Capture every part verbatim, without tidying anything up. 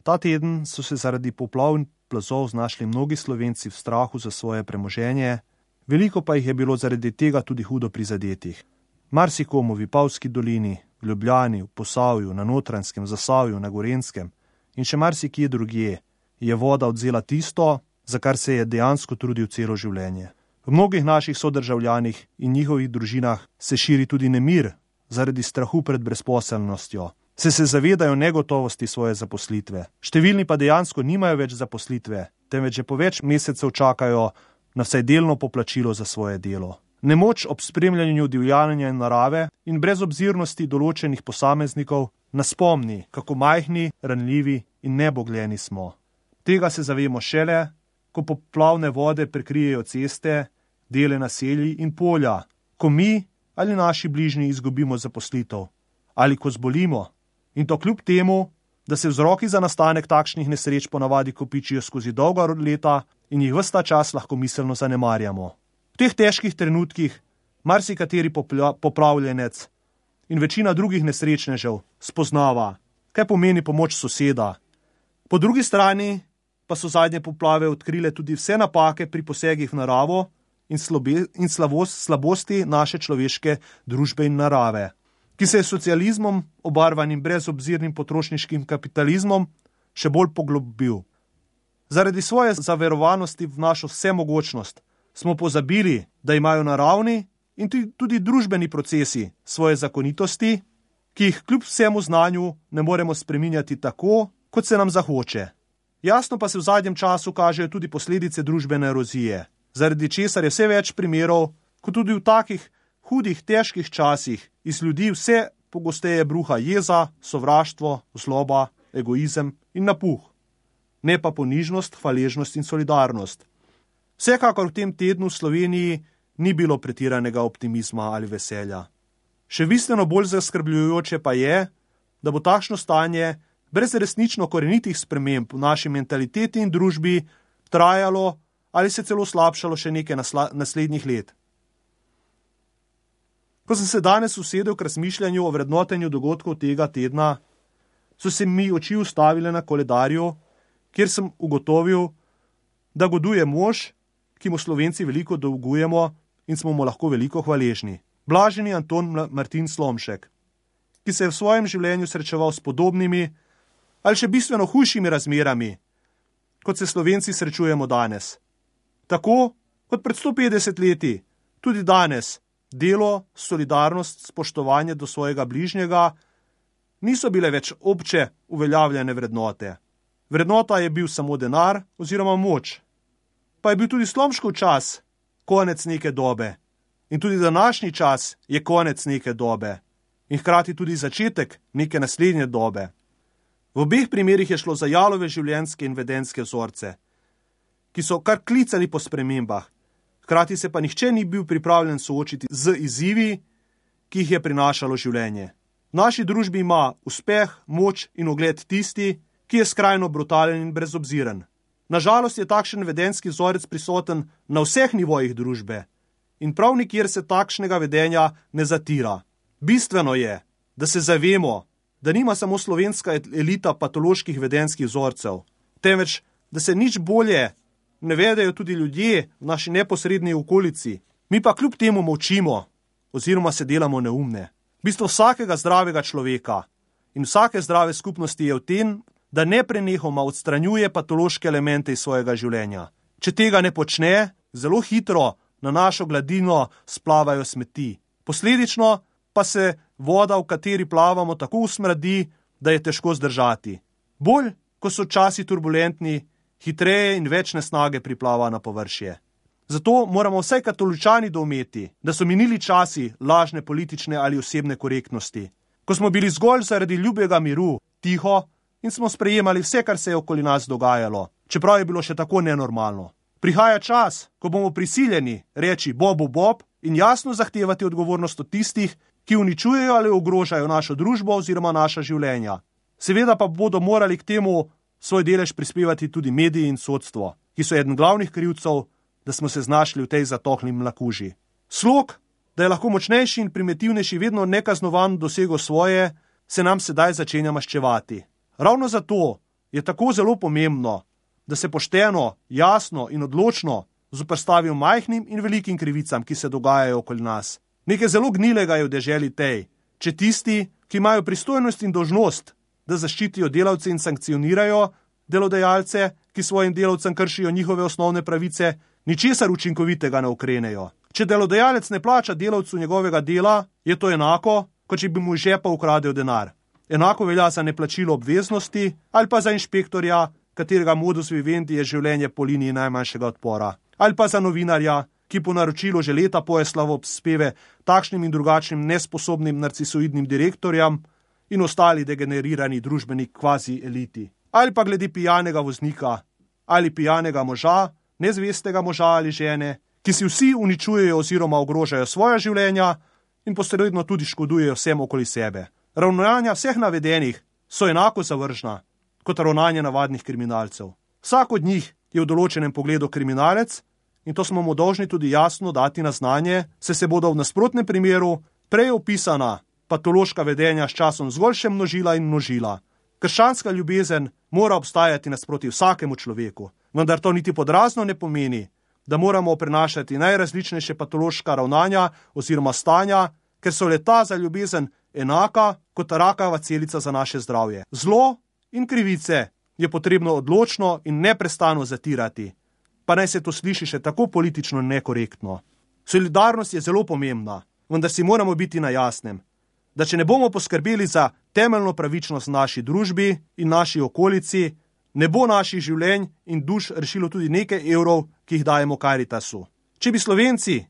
Ta teden so se zaradi poplav in plazov znašli mnogi Slovenci v strahu za svoje premoženje, veliko pa jih je bilo zaradi tega tudi hudo prizadetih. Marsikomu v Vipavski dolini, v Ljubljani, v Posavju, na Notranjskem, Zasavju, na Gorenjskem in še marsikje drugje je voda odzela tisto, za kar se je dejansko trudil celo življenje. V mnogih naših sodržavljanih in njihovih družinah se širi tudi nemir zaradi strahu pred brezposelnostjo. Se se zavedajo negotovosti svoje zaposlitve. Številni pa dejansko nimajo več zaposlitve, temveč že po več mesecev čakajo na vsaj delno poplačilo za svoje delo. Nemoč ob spremljanju divjanja narave in brezobzirnosti določenih posameznikov nas spomni, kako majhni, ranljivi in nebogljeni smo. Tega se zavemo šele, ko poplavne vode prekrijejo ceste, dele naselij in polja, ko mi ali naši bližnji izgubimo zaposlitev, ali ko zbolimo. In to kljub temu, da se vzroki za nastanek takšnih nesreč ponavadi kopičijo skozi dolga leta in jih ves ta čas lahko miselno zanemarjamo. V teh težkih trenutkih marsikateri popravljenec in večina drugih nesrečnežev spoznava, kaj pomeni pomoč soseda. Po drugi strani pa so zadnje poplave odkrile tudi vse napake pri posegih v naravo in, slobe, in slavost, slabosti naše človeške družbe in narave, ki se je socializmom, obarvanim brezobzirnim potrošniškim kapitalizmom, še bolj poglobil. Zaradi svoje zaverovanosti v našo vsemogočnost smo pozabili, da imajo naravni in tudi družbeni procesi svoje zakonitosti, ki jih kljub vsemu znanju ne moremo spreminjati tako, kot se nam zahoče. Jasno pa se v zadnjem času kažejo tudi posledice družbene erozije, zaradi česar je vse več primerov, kot tudi v takih hudih, težkih časih iz ljudi vse pogosteje bruha jeza, sovraštvo, zloba, egoizem in napuh. Ne pa ponižnost, hvaležnost in solidarnost. Vsekakor v tem tednu v Sloveniji ni bilo pretiranega optimizma ali veselja. Še bistveno bolj zaskrbljujoče pa je, da bo takšno stanje brez resnično korenitih sprememb v naši mentaliteti in družbi trajalo ali se celo slabšalo še nekaj nasla- naslednjih let. Ko sem se danes usedel k razmišljanju o vrednotenju dogodkov tega tedna, so se mi oči ustavile na koledarju, kjer sem ugotovil, da goduje mož, ki mu Slovenci veliko dolgujemo in smo mu lahko veliko hvaležni. Blaženi Anton Martin Slomšek, ki se je v svojem življenju srečeval s podobnimi ali še bistveno hujšimi razmerami, kot se Slovenci srečujemo danes. Tako kot pred sto petdeset leti, tudi danes delo, solidarnost, spoštovanje do svojega bližnjega niso bile več obče uveljavljene vrednote. Vrednota je bil samo denar oziroma moč. Pa je bil tudi Slomškov čas konec neke dobe. In tudi današnji čas je konec neke dobe. In hkrati tudi začetek neke naslednje dobe. V obeh primerih je šlo za jalove življenjske in vedenjske vzorce, ki so kar klicali po spremembah. Hkrati se pa nihče ni bil pripravljen soočiti z izzivi, ki jih je prinašalo življenje. V naši družbi ima uspeh, moč in ugled tisti, ki je skrajno brutalen in brezobziren. Nažalost je takšen vedenjski vzorec prisoten na vseh nivojih družbe in prav nikjer se takšnega vedenja ne zatira. Bistveno je, da se zavemo, da nima samo slovenska elita patoloških vedenjskih vzorcev, temveč, da se nič bolje ne vedejo tudi ljudje v naši neposredni okolici. Mi pa kljub temu molčimo oziroma se delamo neumne. Bistvo vsakega zdravega človeka in vsake zdrave skupnosti je v tem, da ne prenehoma odstranjuje patološke elemente iz svojega življenja. Če tega ne počne, zelo hitro na našo gladino splavajo smeti. Posledično pa se voda, v kateri plavamo, tako usmradi, da je težko zdržati. Bolj, ko so časi turbulentni, hitreje in več nesnage priplava na površje. Zato moramo vsaj katoličani doumeti, da so minili časi lažne politične ali osebne korektnosti, ko smo bili zgolj zaradi ljubega miru tiho in smo sprejemali vse, kar se je okoli nas dogajalo, čeprav je bilo še tako nenormalno. Prihaja čas, ko bomo prisiljeni reči bobu bob in jasno zahtevati odgovornost od tistih, ki uničujejo ali ogrožajo našo družbo oziroma naša življenja. Seveda pa bodo morali k temu svoj delež prispevati tudi mediji in sodstvo, ki so eden glavnih krivcev, da smo se znašli v tej zatohli mlakuži. Slog, da je lahko močnejši in primitivnejši vedno nekaznovan dosego svoje, se nam sedaj začenja maščevati. Ravno zato je tako zelo pomembno, da se pošteno, jasno in odločno zoperstavijo majhnim in velikim krivicam, ki se dogajajo okoli nas. Nekaj zelo gnilega je v deželi tej, če tisti, ki imajo pristojnost in dolžnost, da zaščitijo delavce in sankcionirajo delodajalce, ki svojim delavcem kršijo njihove osnovne pravice, ničesar učinkovitega ne ukrenejo. Če delodajalec ne plača delavcu njegovega dela, je to enako, kot če bi mu iz žepa ukradel denar. Enako velja za neplačilo obveznosti ali pa za inšpektorja, katerega modus vivendi je življenje po liniji najmanjšega odpora. Ali pa za novinarja, ki po naročilu že leta poje slavospeve takšnim in drugačnim nesposobnim narcisoidnim direktorjem in ostali degenerirani družbeni kvazi eliti. Ali pa glede pijanega voznika ali pijanega moža, nezvestega moža ali žene, ki si vsi uničujejo oziroma ogrožajo svoja življenja in posredno tudi škodujejo vsem okoli sebe. Ravnanja vseh navedenih so enako zavržna kot ravnanje navadnih kriminalcev. Vsak od njih je v določenem pogledu kriminalec in to smo mu dolžni tudi jasno dati na znanje, saj se bodo v nasprotnem primeru prej opisana patološka vedenja s časom zgolj še množila in množila. Krščanska ljubezen mora obstajati nasproti vsakemu človeku, vendar to niti podrazno ne pomeni, da moramo prenašati najrazličnejše patološka ravnanja oziroma stanja, ker so leta za ljubezen enaka kot rakava celica za naše zdravje. Zlo in krivice je potrebno odločno in neprestano zatirati, pa naj se to sliši še tako politično nekorektno. Solidarnost je zelo pomembna, vendar si moramo biti na jasnem, da če ne bomo poskrbeli za temeljno pravičnost v naši družbi in naši okolici, ne bo naših življenj in duš rešilo tudi nekaj evrov, ki jih dajemo Karitasu. Če bi Slovenci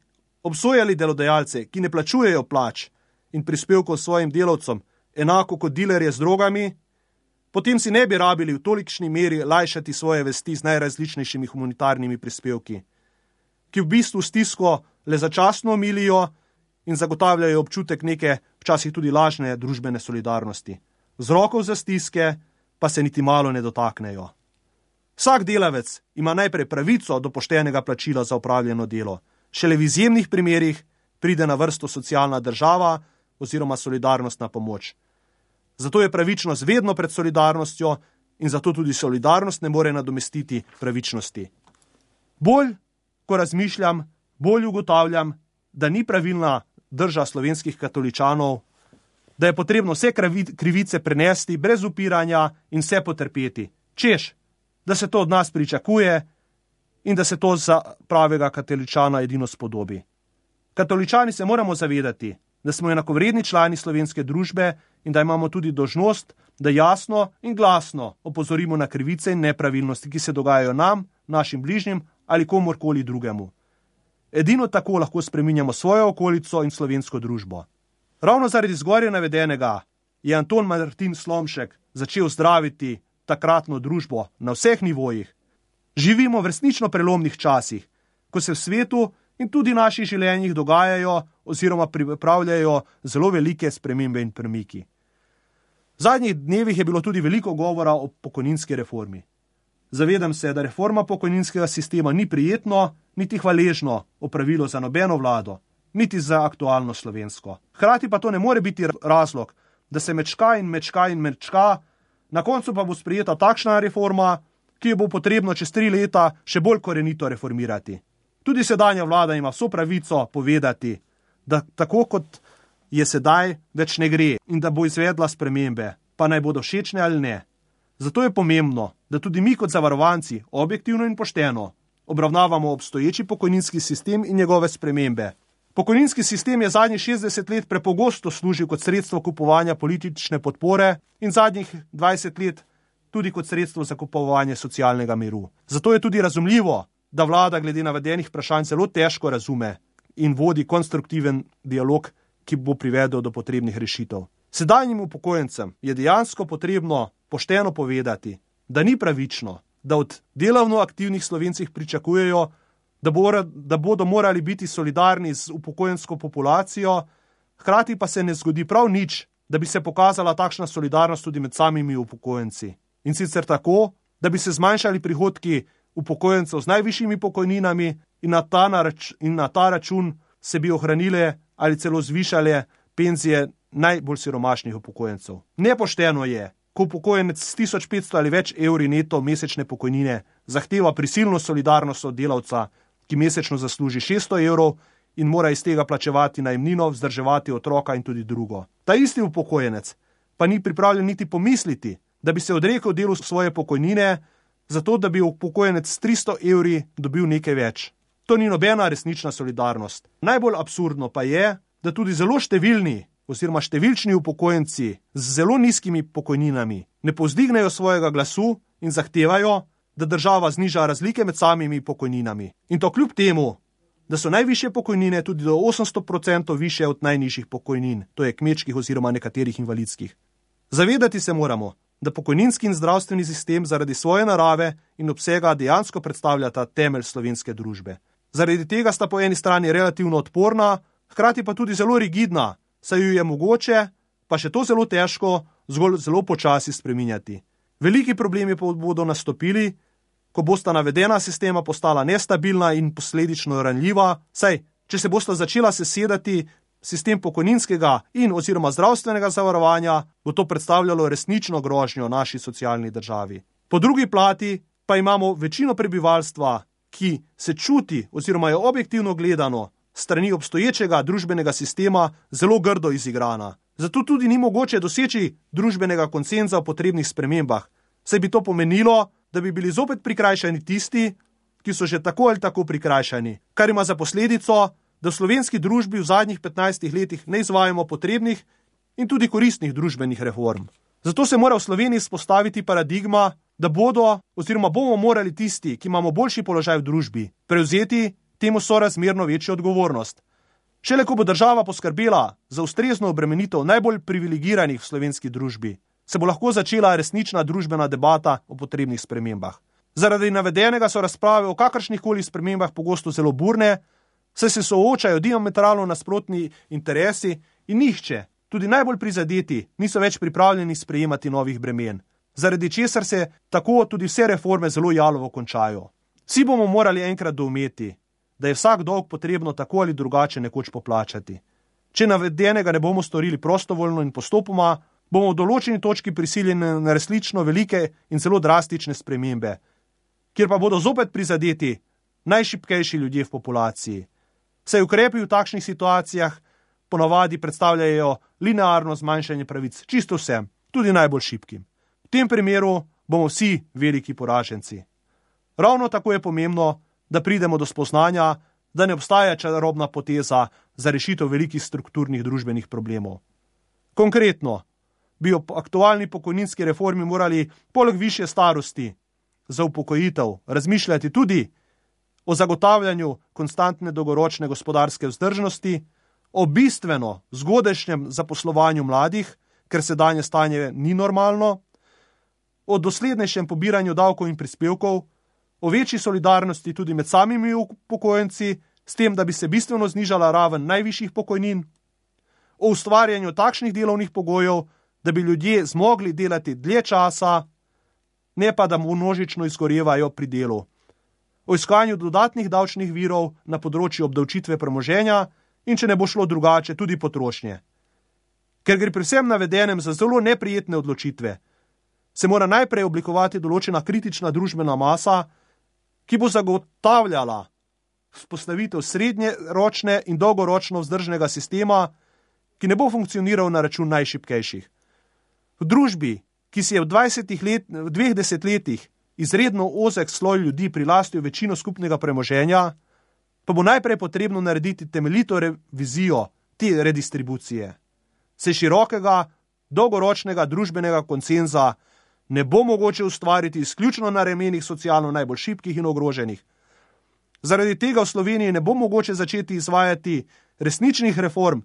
obsojali delodajalce, ki ne plačujejo plač in prispevkov svojim delavcem, enako kot dilerje z drogami, potem si ne bi rabili v tolikšni meri lajšati svoje vesti z najrazličnejšimi humanitarnimi prispevki, ki v bistvu stisko le začasno omilijo in zagotavljajo občutek neke, včasih tudi lažne družbene solidarnosti. Vzrokov za stiske pa se niti malo ne dotaknejo. Vsak delavec ima najprej pravico do poštenega plačila za opravljeno delo. Šele v izjemnih primerih pride na vrsto socialna država oziroma solidarnostna pomoč. Zato je pravičnost vedno pred solidarnostjo in zato tudi solidarnost ne more nadomestiti pravičnosti. Bolj, ko razmišljam, bolj ugotavljam, da ni pravilna drža slovenskih katoličanov, da je potrebno vse krivice prenesti brez upiranja in vse potrpeti. Češ, da se to od nas pričakuje in da se to za pravega katoličana edino spodobi. Katoličani se moramo zavedati, da smo enakovredni člani slovenske družbe in da imamo tudi dolžnost, da jasno in glasno opozorimo na krivice in nepravilnosti, ki se dogajajo nam, našim bližnjim ali komorkoli drugemu. Edino tako lahko spreminjamo svojo okolico in slovensko družbo. Ravno zaradi zgoraj navedenega je Anton Martin Slomšek začel zdraviti takratno družbo na vseh nivojih. Živimo v resnično prelomnih časih, ko se v svetu in tudi v naših življenjih dogajajo oziroma pripravljajo zelo velike spremembe in premiki. V zadnjih dnevih je bilo tudi veliko govora o pokojninski reformi. Zavedam se, da reforma pokojninskega sistema ni prijetno, niti hvaležno opravilo za nobeno vlado, niti za aktualno slovensko. Hkrati pa to ne more biti razlog, da se mečka in mečka in mečka, na koncu pa bo sprejeta takšna reforma, ki jo bo potrebno čez tri leta še bolj korenito reformirati. Tudi sedanja vlada ima vso pravico povedati, da tako kot je sedaj, več ne gre in da bo izvedla spremembe, pa naj bodo všečne ali ne. Zato je pomembno, da tudi mi kot zavarovanci objektivno in pošteno obravnavamo obstoječi pokojninski sistem in njegove spremembe. Pokojninski sistem je zadnjih šestdeset let prepogosto služil kot sredstvo kupovanja politične podpore in zadnjih dvajset let tudi kot sredstvo za kupovanje socialnega miru. Zato je tudi razumljivo, da vlada glede navedenih vprašanj zelo težko razume in vodi konstruktiven dialog, ki bo privedel do potrebnih rešitev. Sedanjim upokojencem je dejansko potrebno pošteno povedati, da ni pravično, da od delovno aktivnih Slovencih pričakujejo, da, bo, da bodo morali biti solidarni z upokojensko populacijo, hkrati pa se ne zgodi prav nič, da bi se pokazala takšna solidarnost tudi med samimi upokojenci. In sicer tako, da bi se zmanjšali prihodki upokojencev z najvišjimi pokojninami in na ta, narač, in na ta račun se bi ohranile ali celo zvišale penzije najbolj siromašnih upokojencev. Nepošteno je, ko upokojenec s tisoč petsto ali več evri neto mesečne pokojnine zahteva prisilno solidarnost od delavca, ki mesečno zasluži šeststo evrov in mora iz tega plačevati najemnino, vzdrževati otroka in tudi drugo. Ta isti upokojenec pa ni pripravljen niti pomisliti, da bi se odrekel delu svoje pokojnine, zato da bi upokojenec s tristo evri dobil nekaj več. To ni nobena resnična solidarnost. Najbolj absurdno pa je, da tudi zelo številni oziroma številčni upokojenci z zelo nizkimi pokojninami ne povzdignejo svojega glasu in zahtevajo, da država zniža razlike med samimi pokojninami. In to kljub temu, da so najvišje pokojnine tudi do osemsto procentov više od najnižjih pokojnin, to je kmečkih oziroma nekaterih invalidskih. Zavedati se moramo, da pokojninski in zdravstveni sistem zaradi svoje narave in obsega dejansko predstavljata temelj slovenske družbe. Zaradi tega sta po eni strani relativno odporna, hkrati pa tudi zelo rigidna, saj ju je mogoče, pa še to zelo težko, zgolj zelo počasi spreminjati. Veliki problemi pa bodo nastopili, ko bosta navedena sistema postala nestabilna in posledično ranljiva, saj, če se bosta začela sesedati sistem pokojninskega in oziroma zdravstvenega zavarovanja, bo to predstavljalo resnično grožnjo naši socialni državi. Po drugi plati pa imamo večino prebivalstva, ki se čuti oziroma je objektivno gledano strani obstoječega družbenega sistema zelo grdo izigrana. Zato tudi ni mogoče doseči družbenega konsenza o potrebnih spremembah, saj bi to pomenilo, da bi bili zopet prikrajšani tisti, ki so že tako ali tako prikrajšani, kar ima za posledico, da v slovenski družbi v zadnjih petnajstih letih ne izvajamo potrebnih in tudi koristnih družbenih reform. Zato se mora v Sloveniji spostaviti paradigma, da bodo oziroma bomo morali tisti, ki imamo boljši položaj v družbi, prevzeti temu sorazmerno večjo odgovornost. Šele ko bo država poskrbela za ustrezno obremenitev najbolj privilegiranih v slovenski družbi, se bo lahko začela resnična družbena debata o potrebnih spremembah. Zaradi navedenega so razprave o kakršnihkoli spremembah pogosto zelo burne, saj se soočajo diametralno nasprotni interesi in nihče, tudi najbolj prizadeti, niso več pripravljeni sprejemati novih bremen, zaradi česar se tako tudi vse reforme zelo jalovo končajo. Vsi bomo morali enkrat doumeti, da je vsak dolg potrebno tako ali drugače nekoč poplačati. Če navedenega ne bomo storili prostovoljno in postopoma, bomo v določeni točki prisiljeni na resnično velike in zelo drastične spremembe, kjer pa bodo zopet prizadeti najšibkejši ljudje v populaciji. Saj ukrepi v takšnih situacijah ponavadi predstavljajo linearno zmanjšanje pravic čisto vsem, tudi najbolj šibkim. V tem primeru bomo vsi veliki poraženci. Ravno tako je pomembno, da pridemo do spoznanja, da ne obstaja čarobna poteza za rešitev velikih strukturnih družbenih problemov. Konkretno, bi ob aktualni pokojninski reformi morali poleg višje starosti za upokojitev razmišljati tudi o zagotavljanju konstantne dolgoročne gospodarske vzdržnosti, o bistveno zgodajšnjem zaposlovanju mladih, ker sedanje stanje ni normalno, o doslednejšem pobiranju davkov in prispevkov, o večji solidarnosti tudi med samimi upokojenci, s tem, da bi se bistveno znižala raven najvišjih pokojnin, o ustvarjanju takšnih delovnih pogojev, da bi ljudje zmogli delati dlje časa, ne pa da množično izgorevajo pri delu, o iskanju dodatnih davčnih virov na področju obdavčitve premoženja in, če ne bo šlo drugače, tudi potrošnje. Ker gre pri vsem navedenem za zelo neprijetne odločitve, se mora najprej oblikovati določena kritična družbena masa, ki bo zagotavljala vzpostavitev srednjeročne in dolgoročno vzdržnega sistema, ki ne bo funkcioniral na račun najšibkejših. V družbi, ki si je v dvajsetih let, v dveh desetletjih izredno ozek sloj ljudi prilastil večino skupnega premoženja, pa bo najprej potrebno narediti temeljito revizijo te redistribucije. Se širokega, dolgoročnega družbenega konsenza ne bo mogoče ustvariti izključno na ramenih socialno najbolj šibkih in ogroženih. Zaradi tega v Sloveniji ne bo mogoče začeti izvajati resničnih reform,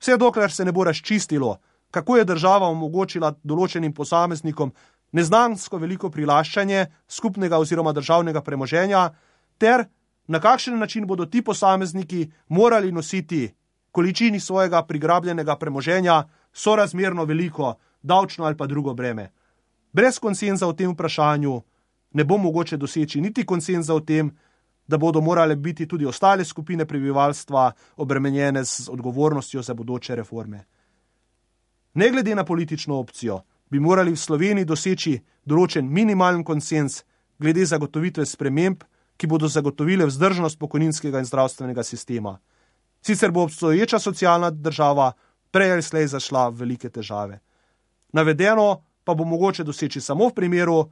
vse dokler se ne bo razčistilo, kako je država omogočila določenim posameznikom neznansko veliko prilaščanje skupnega oziroma državnega premoženja, ter na kakšen način bodo ti posamezniki morali nositi količini svojega prigrabljenega premoženja sorazmerno veliko davčno ali pa drugo breme. Brez konsenza o tem vprašanju ne bo mogoče doseči niti konsenza o tem, da bodo morale biti tudi ostale skupine prebivalstva obremenjene z odgovornostjo za bodoče reforme. Ne glede na politično opcijo, bi morali v Sloveniji doseči določen minimalen konsens glede zagotovitve sprememb, ki bodo zagotovile vzdržnost pokojninskega in zdravstvenega sistema. Sicer bo obstoječa socialna država prej ali slej zašla v velike težave. Navedeno pa bo mogoče doseči samo v primeru,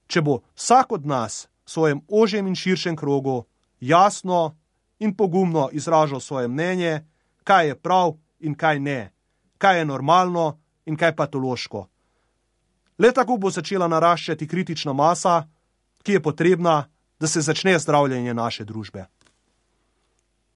če bo vsak od nas v svojem ožjem in širšem krogu jasno in pogumno izražal svoje mnenje, kaj je prav in kaj ne, kaj je normalno in kaj patološko. Le tako bo začela naraščati kritična masa, ki je potrebna, da se začne zdravljenje naše družbe.